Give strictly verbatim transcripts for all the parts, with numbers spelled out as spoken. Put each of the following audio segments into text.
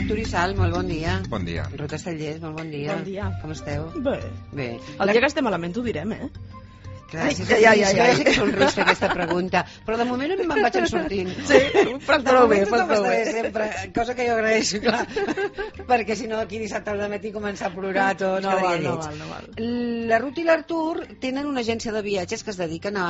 Artur i Sal, molt bon dia. Bon dia. Ruth Castellers, molt bon dia. Bon dia. Com esteu? Bé. Bé. El dia que estem malament ho direm, eh? Gràcies. Ai, ai, ai, ai. Jo sé que és un risc fer aquesta pregunta, però de moment me'n vaig en sortint. Sí, fas prou bé, fas prou bé. Sempre, cosa que jo agraeixo, clar, perquè si no aquí dissabte al matí començar a plorar tots, No val, quedaria no lleig. val, no val. La Ruth i l'Artur tenen una agència de viatges que es dediquen a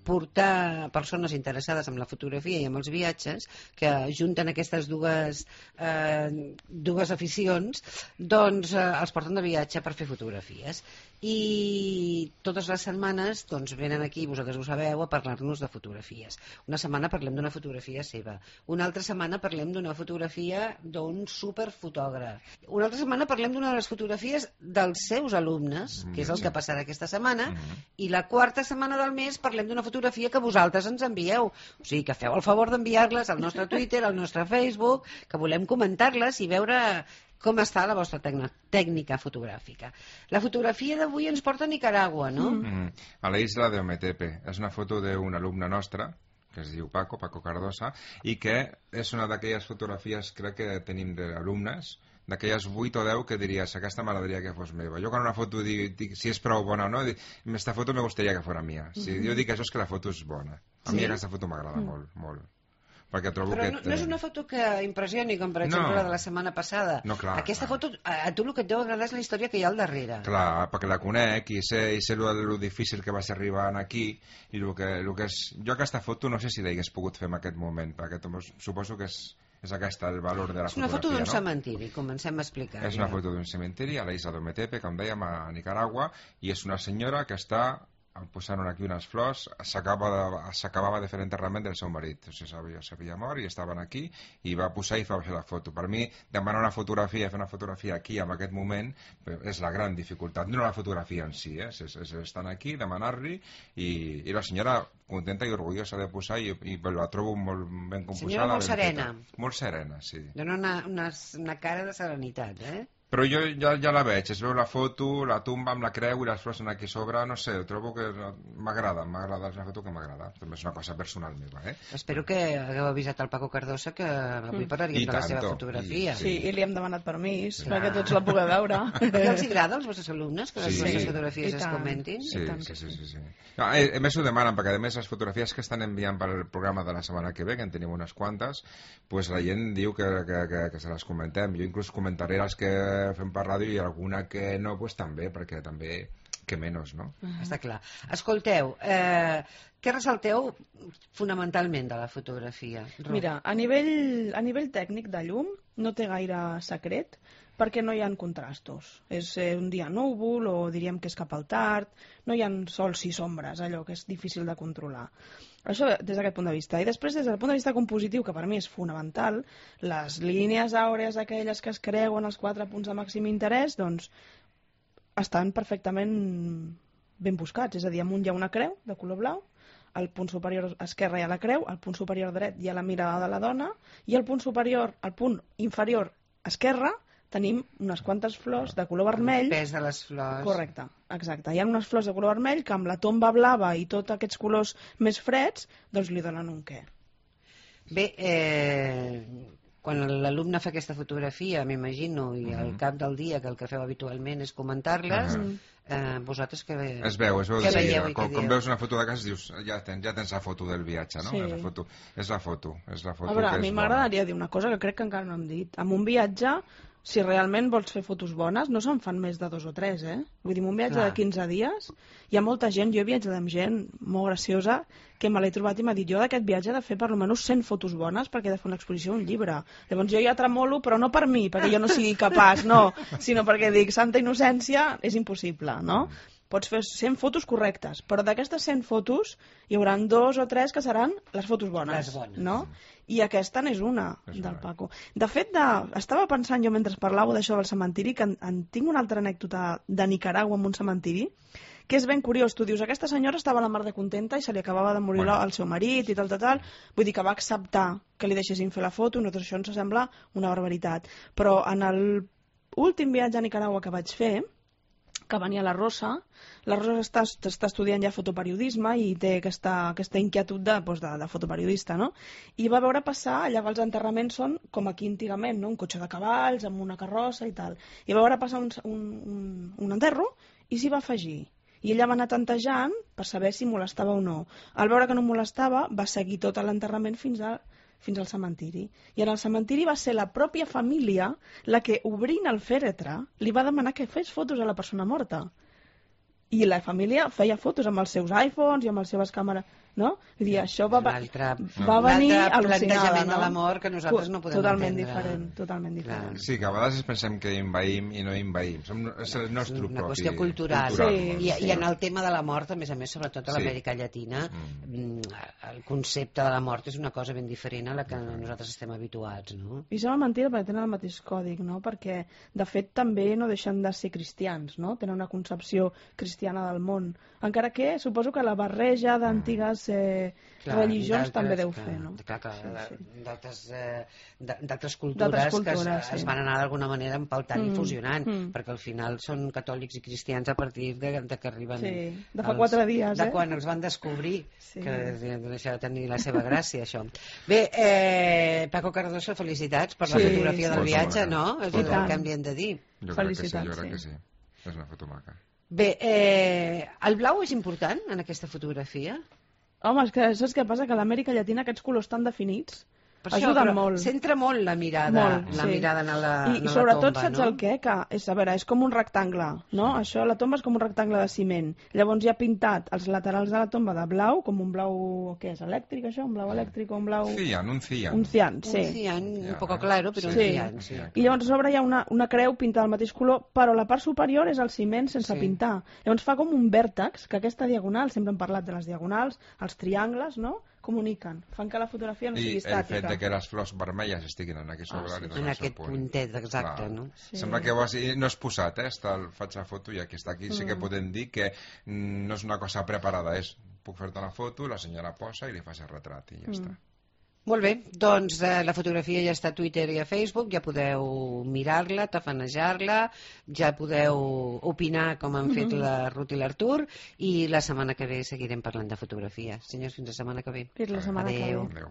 portar persones interessades en la fotografia i en els viatges, que junten aquestes dues, eh, dues aficions, doncs eh, els porten de viatge per fer fotografies. I totes les setmanes doncs, venen aquí, vosaltres ho sabeu, a parlar-nos de fotografies. Una setmana parlem d'una fotografia seva, una altra setmana parlem d'una fotografia d'un superfotògraf, una altra setmana parlem d'una de les fotografies dels seus alumnes, que és el que passarà aquesta setmana, i la quarta setmana del mes parlem d'una fotografia que vosaltres ens envieu. O sigui, que feu el favor d'enviar-les al nostre Twitter, al nostre Facebook, que volem comentar-les i veure com està la vostra tècnica fotogràfica. La fotografia d'avui ens porta a Nicaragua, no? Mm. A la isla de Ometepe. És una foto d'un alumne nostre, que es diu Paco, Paco Cardosa, i que és una d'aquelles fotografies, crec que tenim d'alumnes, d'aquelles vuit o deu que diries, aquesta m'agradaria que fos meva. Jo quan una foto dic, dic si és prou bona o no, dic, esta foto me gustaría que fuera mía. Si mm-hmm. jo dic això és que la foto és bona. A sí? mi aquesta foto m'agrada mm. molt, molt. Perquè trobo però que... no, no és una foto que impressioni, com per exemple no. la de la setmana passada. No, clar, aquesta clar. foto, a, a tu el que et deu agradar és la història que hi ha al darrere. Clar, perquè la conec i sé, i sé lo, lo difícil que va ser arribar aquí i el que, lo que és... Jo aquesta foto no sé si l'hagués pogut fer en aquest moment, perquè suposo que és, és aquesta el valor de la fotografia. És una foto d'un no? cementiri, comencem a explicar. És una foto d'un cementiri a la isla d'Ometepe, com dèiem, a Nicaragua, i és una senyora que està posant aquí unes flors, s'acabava de fer l'enterrament del seu marit, o sigui, s'havia mort i estaven aquí i va posar i va fer la foto. Per mi, demanar una fotografia, fer una fotografia aquí en aquest moment és la gran dificultat, no la fotografia en si, eh? és, és estar aquí, demanar-li i, i la senyora contenta i orgullosa de posar i, i la trobo molt ben composada. Senyora molt serena. Molt serena, sí. Dona una, una, una cara de serenitat, eh? Però jo ja, ja la veig, es veu la foto, la tumba amb la creu i les flors aquí a sobre, no sé, trobo que m'agrada, m'agrada, és una foto que m'agrada, també és una cosa personal meva, eh? Espero que hagueu avisat al Paco Cardosa que avui parlaríem de la seva fotografia. I, sí, i li hem demanat permís, sí. perquè tots la pugueu veure. I els agrada als vostres alumnes que les sí. vostres fotografies es comentin? Sí, sí, sí, sí, sí. No, a més ho demanen, perquè a més les fotografies que estan enviant per al programa de la setmana que ve, que en tenim unes quantes, pues la gent diu que, que, que, que se les comentem. Jo inclús comentaré les que fem per ràdio i alguna que no, pues també, perquè també que menys, no? Uh -huh. Està clar. Escolteu, eh, què ressalteu fonamentalment de la fotografia? Ro? Mira, a nivell, a nivell tècnic de llum no té gaire secret perquè no hi ha contrastos. És eh, un dia núvol o diríem que és cap al tard, no hi ha sols i sombres, allò que és difícil de controlar. Això des d'aquest punt de vista. I després, des del punt de vista compositiu, que per mi és fonamental, les línies àurees aquelles que es creuen els quatre punts de màxim interès, doncs estan perfectament ben buscats. És a dir, amunt hi ha una creu de color blau, al punt superior esquerre hi ha la creu, al punt superior dret hi ha la mirada de la dona, i al punt superior, al punt inferior esquerre, tenim unes quantes flors de color vermell. El pes de les flors. Correcte, exacte. Hi ha unes flors de color vermell que amb la tomba blava i tots aquests colors més freds, doncs li donen un què. Bé, eh, quan l'alumne fa aquesta fotografia, m'imagino, i al cap del dia que el que feu habitualment és comentar-les, uh -huh. eh, vosaltres que es veu, es veu que veieu i com, que com veus una foto de casa dius, ja tens, ja tens la foto del viatge, no? Sí. És la foto, és la foto, és la foto a veure, que a mi és m'agradaria dir una cosa que crec que encara no hem dit. Amb un viatge, si realment vols fer fotos bones, no se'n fan més de dos o tres, eh? Vull dir, un viatge Clar. de quinze dies, hi ha molta gent, jo he viatjat amb gent molt graciosa, que me l'he trobat i m'ha dit, jo d'aquest viatge he de fer per almenys cent fotos bones perquè he de fer una exposició, un llibre. Llavors jo ja tremolo, però no per mi, perquè jo no sigui capaç, no, sinó perquè dic, santa innocència, és impossible, no? Pots fer cent fotos correctes, però d'aquestes cent fotos hi haurà dos o tres que seran les fotos bones, les bones. no? I aquesta n'és una, és del una. Paco. De fet, de, estava pensant jo mentre parlàveu d'això del cementiri, que en, en tinc una altra anècdota de Nicaragua amb un cementiri, que és ben curiós. Tu dius, aquesta senyora estava a la mar de contenta i se li acabava de morir bueno. el seu marit i tal, tal, tal. Vull dir que va acceptar que li deixessin fer la foto, i nosaltres això ens sembla una barbaritat. Però en l'últim viatge a Nicaragua que vaig fer, que venia la Rosa. La Rosa està, està estudiant ja fotoperiodisme i té aquesta, aquesta inquietud de, doncs, de, de fotoperiodista, no? I va veure passar, allà els enterraments són com aquí antigament, no? Un cotxe de cavalls amb una carrossa i tal. I va veure passar un, un, un, un enterro i s'hi va afegir. I ella va anar tantejant per saber si molestava o no. Al veure que no molestava, va seguir tot l'enterrament fins a fins al cementiri. I en el cementiri va ser la pròpia família la que, obrint el fèretre, li va demanar que fes fotos a la persona morta. I la família feia fotos amb els seus iPhones i amb les seves càmeres, no? Vull dir, això va, va, va venir al·lucinada, no? de la mort que nosaltres no podem totalment entendre. Diferent, totalment diferent. Sí, que a vegades pensem que invaïm i no invaïm. Som, és el nostre una propi... qüestió cultural. cultural Sí, no? I, sí. I en el tema de la mort, a més a més, sobretot a Sí. l'Amèrica Llatina, Mm. el concepte de la mort és una cosa ben diferent a la que nosaltres estem habituats, no? I sembla mentida perquè tenen el mateix còdic, no? Perquè, de fet, també no deixen de ser cristians, no? Tenen una concepció cristiana del món. Encara que suposo que la barreja d'antigues eh, Clar, religions també deu que, fer, no? Clar, clar, Sí, sí. d'altres eh, d'altres cultures, D'altres que es, cultures, sí. es van anar d'alguna manera empaltant Mm, i fusionant, mm. perquè al final són catòlics i cristians a partir de, de que arriben... Sí, de fa quatre dies, de eh? quan els van descobrir, Sí. que deixa de tenir la seva gràcia, això. Bé, eh, Paco Cardoso, felicitats per la Sí, fotografia sí. del Foto viatge, maca. no? És Foto el maca. que hem de dir. Jo crec que sí, Felicitats, jo crec que sí. sí. És una foto maca. Bé, eh, el blau és important en aquesta fotografia? Home, és que saps què passa? Que a l'Amèrica Llatina aquests colors tan definits Per això, ajuden però molt. Centra molt la mirada, Molt, la sí. mirada en la, I, en i la sobretot tomba, saps no? el què? Que és, a veure, és com un rectangle, no? Això, la tomba és com un rectangle de ciment. Llavors hi ha pintat els laterals de la tomba de blau, com un blau, què és, elèctric això? Un blau elèctric o un blau... Cian, un cian. Un cian, sí. Un cian, un Ja, poco eh? claro, però un Sí. cian, sí. I llavors a sobre hi ha una, una creu pintada del mateix color, però la part superior és el ciment sense Sí. pintar. Llavors fa com un vèrtex, que aquesta diagonal, sempre hem parlat de les diagonals, els triangles, no?, comuniquen, fan que la fotografia no I sigui el fet estàtica. de que les flors vermelles estiguin en aquest sobre Ah, sí. li dona En el seu aquest punt. puntet, exacte, Clar. no? Sí. Sembla que ho has, i no és posat, eh? Està, el, faig la foto i aquí està. Aquí sí que Mm. podem dir que mm, no és una cosa preparada, és puc fer-te una foto, la senyora posa i li fas el retrat i ja Mm. està. Molt bé, doncs eh, la fotografia ja està a Twitter i a Facebook, ja podeu mirar-la, tafanejar-la, ja podeu opinar com han fet la Ruth i l'Artur, i la setmana que ve seguirem parlant de fotografia. Senyors, fins la setmana que ve. Fins la setmana que ve. Adéu. Adéu.